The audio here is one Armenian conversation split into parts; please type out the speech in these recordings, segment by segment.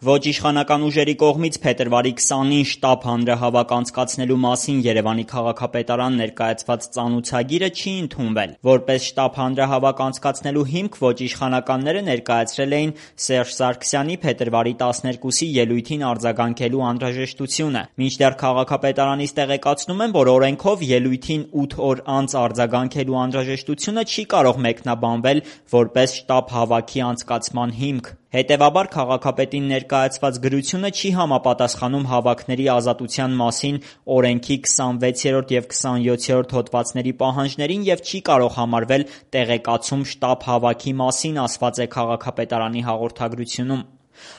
Ոչ իշխանական ուժերի կողմից փետրվարի 20-ին շտաբ հանրահավաք անցկացնելու մասին Երևանի քաղաքապետարան ներկայացված ծանուցագիրը չի ընդունվել։ Որպես շտաբ հանրահավաք անցկացնելու հիմք ոչ իշխանականները ներկայացրել էին Սերժ Սարգսյանի փետրվարի 12-ի ելույթին արձագանքելու անհրաժեշտությունը։ Մինչդեռ քաղաքապետարանից տեղեկացնում են, որ օրենքով ելույթին 8 օր անց արձագանքելու անհրաժեշտությունը չի կարող մեկնաբանվել որպես շտաբ հավաքի անցկացման հիմք։ Հետևաբար քաղաքապետին ներկայացված գրությունը չի համապատասխանում հավաքների ազատության մասին օրենքի 26-րդ և 27-րդ հոդվածների պահանջներին և չի կարող համարվել տեղեկացում շտաբ հավաքի մասին, ասված է քաղաքապետարանի հաղորդագրությունում։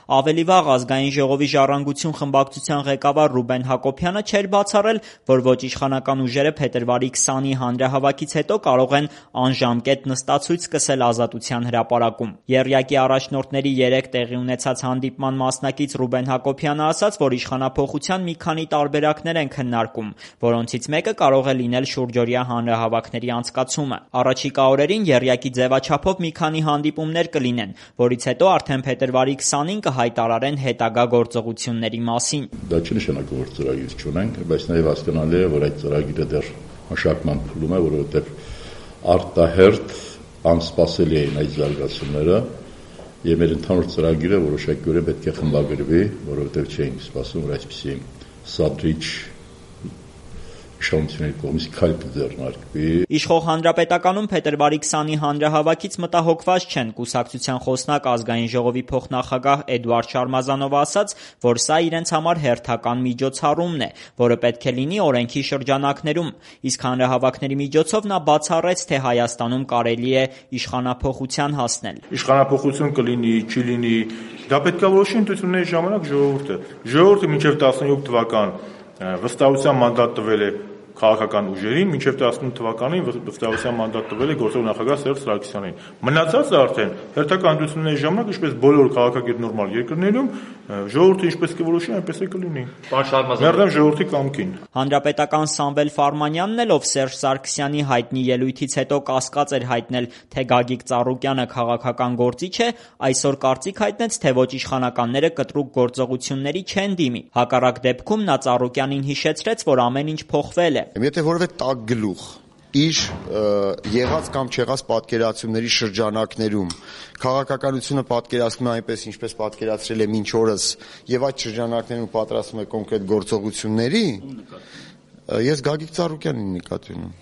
Ավելի վաղ Ազգային ժողովի Ժառանգություն խմբակցության ղեկավար Ռուբեն Հակոբյանը չէր բացառել, որ ոչ իշխանական ուժերը փետրվարի 20-ի հանրահավաքից հետո կարող են անժամկետ նստացույց սկսել Ազատության հրապարակում։ Եռյակի առաջնորդների 3 տեղի ունեցած հանդիպման մասնակից Ռուբեն Հակոբյանը ասաց, որ իշխանափոխության մի քանի տարբերակներ են քննարկում, որոնցից մեկը կարող է լինել շուրջօրյա հանրահավաքների անցկացումը։ Առաջիկա օրերին եռյակի ձևաչափով մի քանի հանդիպումներ կլինեն, որից հետո արդեն փետրվարի 20-ին կհայտարարեն հետագա գործողությունների մասին։ Դա չի նշանակում, որ ծրագիր չունենք, բայց նաև հասկանալի է, որ այդ ծրագիրը դեռ մշակման փուլում է, որովհետև արտահերթ անսպասելի էին այդ զարգացումները եւ մեր ընդհանուր ծրագիրը որոշակիորեն պետք է խմբագրվի, որովհետև չէինք սպասում, որ այսպիսի սադրիչ իշխանությունների կողմից քայլ կձեռնարկվի։ Իշխող Հանրապետականում փետրվարի 20-ի հանրահավաքից մտահոգված չեն։ Կուսակցության խոսնակ Ազգային ժողովի փոխնախագահ Էդուարդ Շարմազանովը ասաց, որ սա իրենց համար հերթական միջոցառումն է, որը պետք է լինի օրենքի շրջանակներում։ Իսկ հանրահավաքների միջոցով նա բացառեց, թե Հայաստանում կարելի է իշխանափոխության հասնել։ Իշխանափոխություն կլինի, չի լինի, դա պետք է որոշի ընտրությունների ժամանակ ժողովուրդը։ Ժողովուրդը մինչև 17 թվական վստահության մանդատ տվել է քաղաքական ուժերին, մինչև 18 թվականին վստահության մանդատ տվել է գործող նախագահ Սերժ Սարգսյանին։ Մնացածը արդեն հերթական ընտրությունների ժամանակ, ինչպես բոլոր քաղաքակիրթ նորմալ երկրներում, ժողովուրդը ինչպես կորոշի, այնպես է կլինի։ Մերժեմ ժողովրդի կամքին։ Հանրապետական Սամվել Ֆարմանյանն էլ, ով Սերժ Սարգսյանի հայտնի ելույթից հետո կասկած էր հայտնել, թե Գագիկ Ծառուկյանը քաղաքական գործիչ է, այսօր կարծիք հայտնեց, թե ոչ իշխանականները կտրուկ գործողությունների չեն դիմի։ Հակառակ դեպքում նա Ծառուկյանին հիշեցրեց, որ ամեն ինչ փոխվել է։ Եթե որևէ տաք գլուխ իր եղած կամ չեղած պատկերացումների շրջանակներում քաղաքականությունը պատկերացնում է այնպես, ինչպես պատկերացրել է մինչ օրս, եւ այդ շրջանակներում պատրաստում է կոնկրետ գործողությունների, ես Գագիկ Ծառուկյանին նկատի ունեմ,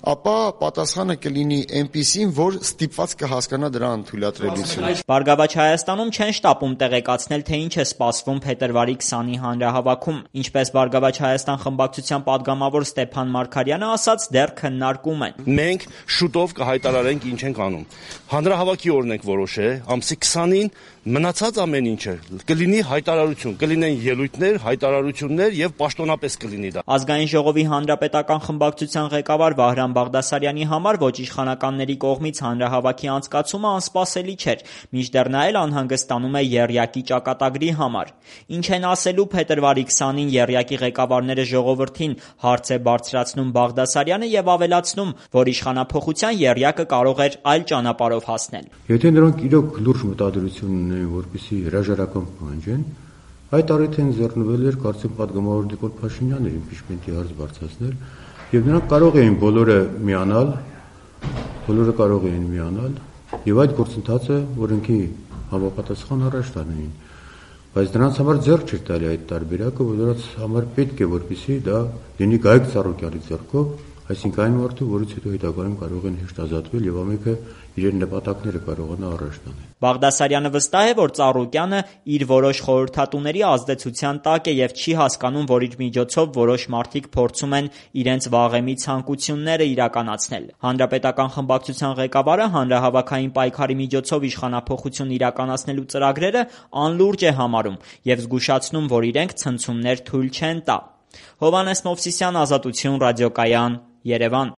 ապա պատասխանը կլինի այնպիսին, որ ստիպված կհասկանա դրա անթույլատրելությունը։ Բարգավաճ Հայաստանում չեն շտապում տեղեկացնել, թե ինչ է սպասվում փետրվարի 20-ի հանրահավաքում։ Ինչպես Բարգավաճ Հայաստան խմբակցության падգամավոր Ստեփան Մարգարյանը ասաց, դեռ քննարկում են։ Մենք շուտով կհայտարարենք ինչ ենք անում։ Հանրահավաքի օրն ենք որոշել, ամսի 20-ին մնացած ամեն ինչը կլինի հայտարարություն, կլինեն ելույթներ, հայտարարություններ եւ պաշտոնապես կլինի դա։ Ազգային ժողովի հանրապետական խմբակցության ղեկավար Վահրամ Բաղդասարյանի համար ոչ իշխանականների կողմից հանրահավաքի անցկացումը անսպասելի չէր, մինչդեռ նա էլ անհանգստանում է եռյակի ճակատագրի համար։ Ինչ են ասելու փետրվարի 20-ին եռյակի ղեկավարները ժողովրդին, հարց է բարձրացնում Բաղդասարյանը եւ ավելացնում, որ իշխանափոխության եռյակը կարող էր այլ ճանապարհով հասնել։ Եթե նրանք իրոք լուրջ մտադրություն ունեն, որպեսզի հրաժարական պահանջեն, այդ առիթին ձեռնվել էր կարծեմ падգամավոր Նիկոլ Փաշինյանը իմպիչմենտի հարց բարձրացնել, եւ նրանք կարող էին բոլորը միանալ եւ այդ գործընթացը օրենքի համապատասխան առաջ տանեին, բայց դրանց համար ձեռք չէր տալի այդ տարբերակը, որ դրանց համար պետք է որպեսզի դա լինի Գագիկ Ծառուկյանի ձեռքով, այսինքն այն մարդը, որից հետո հետագայում կարող են հեշտ ազատվել եւ ամենքը իրեն նպատակները կարողանա առաջ տանել։ Բաղդասարյանը վստահ է, որ Ծառուկյանը իր որոշ խորհրդատուների ազդեցության տակ է եւ չի հասկանում, որ իր միջոցով որոշ մարդիկ փորձում են իրենց վաղեմի ցանկությունները իրականացնել։ Հանրապետական խմբակցության ղեկավարը հանրահավաքային պայքարի միջոցով իշխանափոխություն իրականացնելու ծրագրերը անլուրջ է համարում եւ զգուշացնում, որ իրենք ցնցումներ թույլ չեն տա։ Հովհաննես Մովսիսյան, Ազատություն, ռադիոկայան, Երևան։